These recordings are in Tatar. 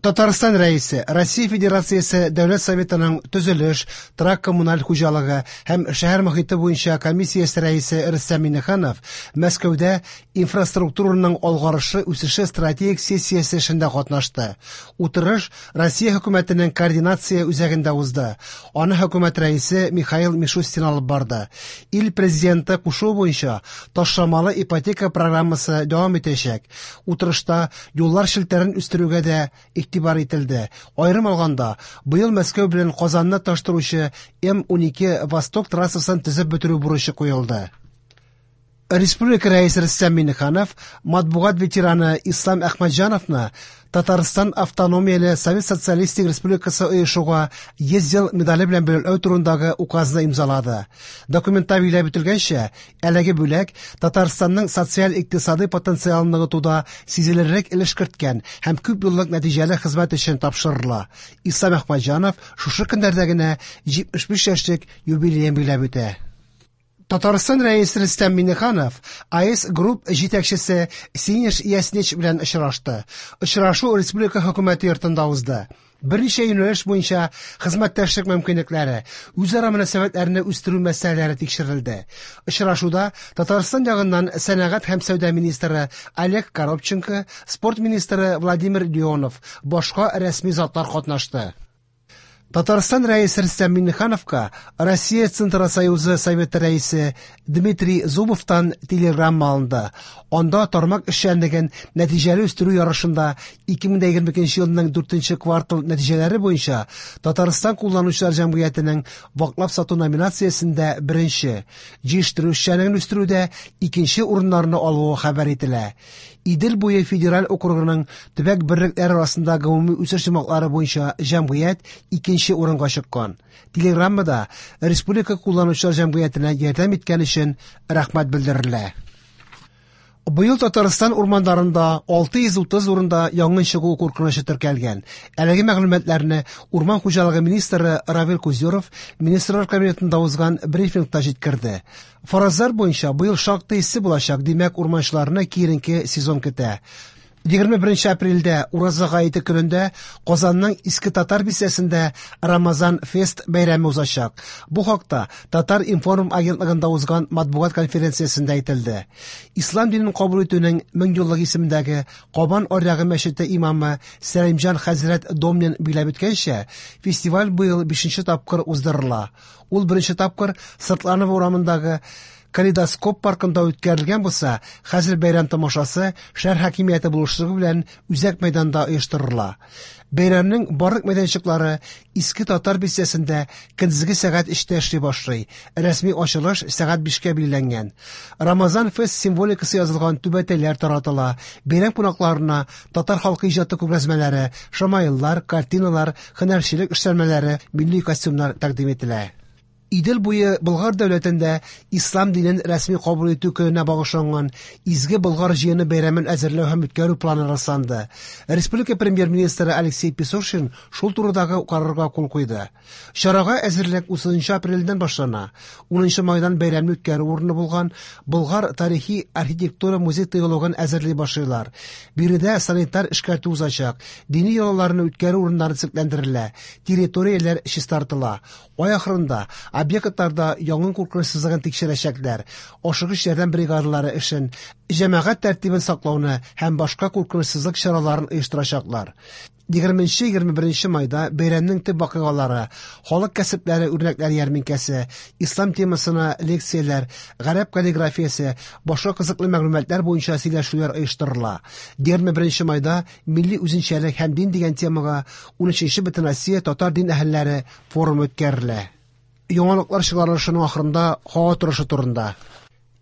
Татарстан Рәисе Россия Федерациясе Дәүләт Советының төзелеш, торак-коммуналь хуҗалыгы һәм шәһәр мохите буенча комиссиясе рәисе Рөстәм Миңнеханов Мәскәүдә инфраструктураның алгарышы үсеше стратегик сессиясе эшендә катнашты. Утырыш Россия хөкүмәтенең координация үзәгендә узды. Аны хөкүмәт рәисе Михаил Мишустин алып барды. Ил президенты кушуы буенча ташламалы ипотека программасы дәвам итәчәк. Утырышта юллар челтәрен үстерүгә дә игътибар ителде. Аерым алганда, быел Мәскәү белән Казанны тоташтыручы М-12 Восток трассасын төзеп бетерү бурычы куелды. Республика Рәисе Рөстәм Миңнеханов матбугат ветераны Ислам Әхмәтҗановны Татарстан Автономияле Совет Социалистик Республикасы оешуга 100 ел медале белән бүләкләү турындагы указны имзалады. Документта билгеләп үтелгәнчә, әлеге бүләк Татарстанның социаль-икътисадый потенциалын ныгытуда сизелерлек өлеш керткән һәм күп еллык нәтиҗәле хезмәт өчен тапшырыла. Ислам Әхмәтҗанов шушы көннәрдә генә 75 яшьлек юбилеен билгеләп үтә. Татарстан Рәисе Рөстәм Миңнеханов АЭС Групп җитәкчесе Синеш Яснич белән очрашты. Очрашу республика хөкүмәте йортында узды. Берничә юнәлеш буенча хезмәттәшлек мөмкинлекләре, үзара мөнәсәбәтләрне үстерү мәсьәләләре тикшерелде. Очрашуда Татарстан ягыннан сәнәгать һәм сәүдә министры Олег Коробченко, спорт министры Владимир Леонов, башка рәсми затлар катнашты. Татарстан Рәисе Рөстәм Миңнехановка Россия Центросоюзы Советы рәисе Дмитрий Зубовтан телеграмма алынды. Анда тармак эшчәнлеген нәтиҗәле үстерү ярышында 2022 елның 4 квартал нәтиҗәләре буенча Татарстан кулланучылар җәмгыятенең ваклап сату номинациясендә беренче, җыештыру эшчәнлеген үстерүдә икенче урыннарны алуы хәбәр ителә. Идел буе федераль округының төбәк берлекләре арасында гомуми үсеш йомгаклары буенча җәмгыять икенче урынга чыккан. Телеграммада республика кулланучылар җәмгыятенә ярдәм иткән өчен рәхмәт белдерелә. Быел Татарстан урманнарында 630 урында янгын чыгу куркынычы теркәлгән. Әлеге мәгълүматларны урман хуҗалыгы министры Равил Кузюров Министрлар Кабинетында узган брифингта җиткерде. Фаразлар буенча быел шактый эссе булачак, димәк, урманчыларны киеренке сезон көтә. 21 апрельдә Ураза гаете көнендә Казанның Иске Татар бистәсендә Рамазан фест бәйрәме узачак. Бу хакта Татар информ агентлыгында узган матбугат конференциясендә әйтелде. Ислам динен кабул итүнең 1000 еллык исемендәге Кабан аръягы мәчете имамы Сәлимҗан хәзрәт Домнин билгеләп үткәнчә, фестиваль быел 5 тапкыр уздырыла. Ул беренче тапкыр Сыртланова урамындагы Калейдоскоп паркында үткәрелгән булса, хәзер бәйрәм тамашасы шәһәр хакимияте булышлыгы белән үзәк мәйданда оештырыла. Бәйрәмнең барлык мәйданчыклары Иске Татар бистәсендә көндезге сәгать 3тә эшли башлый. Рәсми ачылыш сәгать 5кә билгеләнгән. Рамазан фест символикасы язылган түбәтәйләр таратыла. Бәйрәм кунакларына татар халкы иҗаты күргәзмәләре, шамаиллар, картиналар, һөнәрчелек эшләнмәләре, милли костюмнар тәкъдим ителә. Идел буе Болгар дәүләтендә ислам динен рәсми кабул итү көненә багышланган Изге Болгар җыены бәйрәмен әзерләү һәм үткәрү планы расланды. Республика премьер-министры Алексей Песошин шул турыдагы карарга кул куйды. Чарага әзерлек 30 апрельдән башлана. 10 майдан бәйрәмне үткәрү урыны булган Болгар тарихи архитектура музей тыюлыгын әзерли башлыйлар. Биредә санитар эшкәртү узачак, дини йолаларны үткәрү урыннары төзекләндерелә, территорияләр чистартыла. Ай ахырында объектларда янгын куркынычсызлыгын тикшерәчәкләр, ашыгыч ярдәм бригадалары эшен, җәмәгать тәртибен саклауны һәм башка куркынычсызлык чараларын оештырачаклар. 20-21 майда бәйрәмнең төп вакыйгалары, халык кәсепләре үрнәкләре ярминкәсе, ислам темасына лекцияләр, гарәп каллиграфиясе, башка кызыклы мәгълүматлар буенча сөйләшүләр оештырыла. 21 майда милли үзенчәлек һәм дин дигән темага 13 Бөтенроссия татар дин әһелләре форумы үткәрелә. Яңалыклар чыгарылышының ахырында һава торышы турында.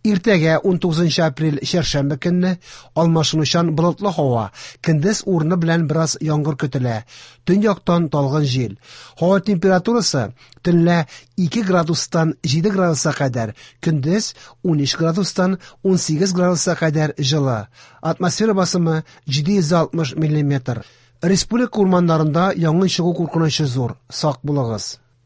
Иртәгә 19 апрель чәршәмбе көнне алмашынучан болытлы һава, көндез урыны белән бераз яңгыр көтелә. Төньяктан талгын җил. Һава температурасы төнлә 2 градустан 7 градуска кадәр, көндез 13 градустан 18 градуска кадәр җылы. Атмосфера басымы 760 миллиметр. Республика урманнарында янгын чыгу куркынычы зур. Сак булыгыз.